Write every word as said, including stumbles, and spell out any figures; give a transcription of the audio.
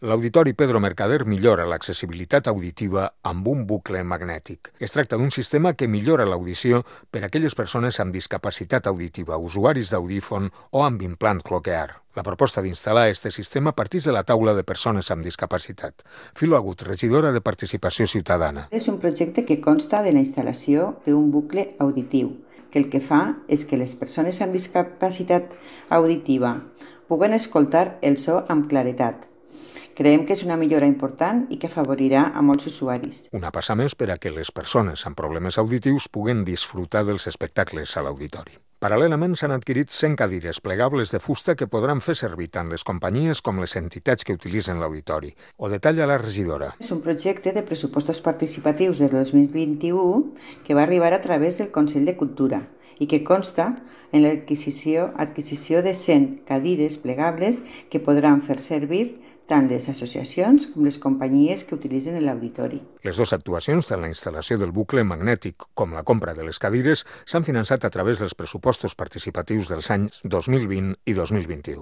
L'Auditori Pedro Mercader millora l'accessibilitat auditiva amb un bucle magnètic. Es tracta d'un sistema que millora l'audició per a aquelles persones amb discapacitat auditiva, usuaris d'audífon o amb implant cloquear. La proposta d'instal·lar este sistema partix de la taula de persones amb discapacitat. Filo Agut, regidora de Participació Ciutadana. És un projecte que consta de la instal·lació d'un bucle auditiu, que el que fa és que les persones amb discapacitat auditiva puguen escoltar el so amb claretat. Creiem que és una millora important i que afavorirà a molts usuaris. Una passa més per a que les persones amb problemes auditius puguen disfrutar dels espectacles a l'auditori. Paral·lelament s'han adquirit cent cadires plegables de fusta que podran fer servir tant les companyies com les entitats que utilitzen l'auditori. Ho detalla la regidora. És un projecte de pressupostos participatius del dos mil vint-i-u que va arribar a través del Consell de Cultura i que consta en l'adquisició adquisició de cent cadires plegables que podran fer servir tant les associacions com les companyies que utilitzen l'auditori. Les dues actuacions, tant la instal·lació del bucle magnètic com la compra de les cadires, s'han finançat a través dels pressupostos participatius dels anys dos mil vint i dos mil vint-i-u.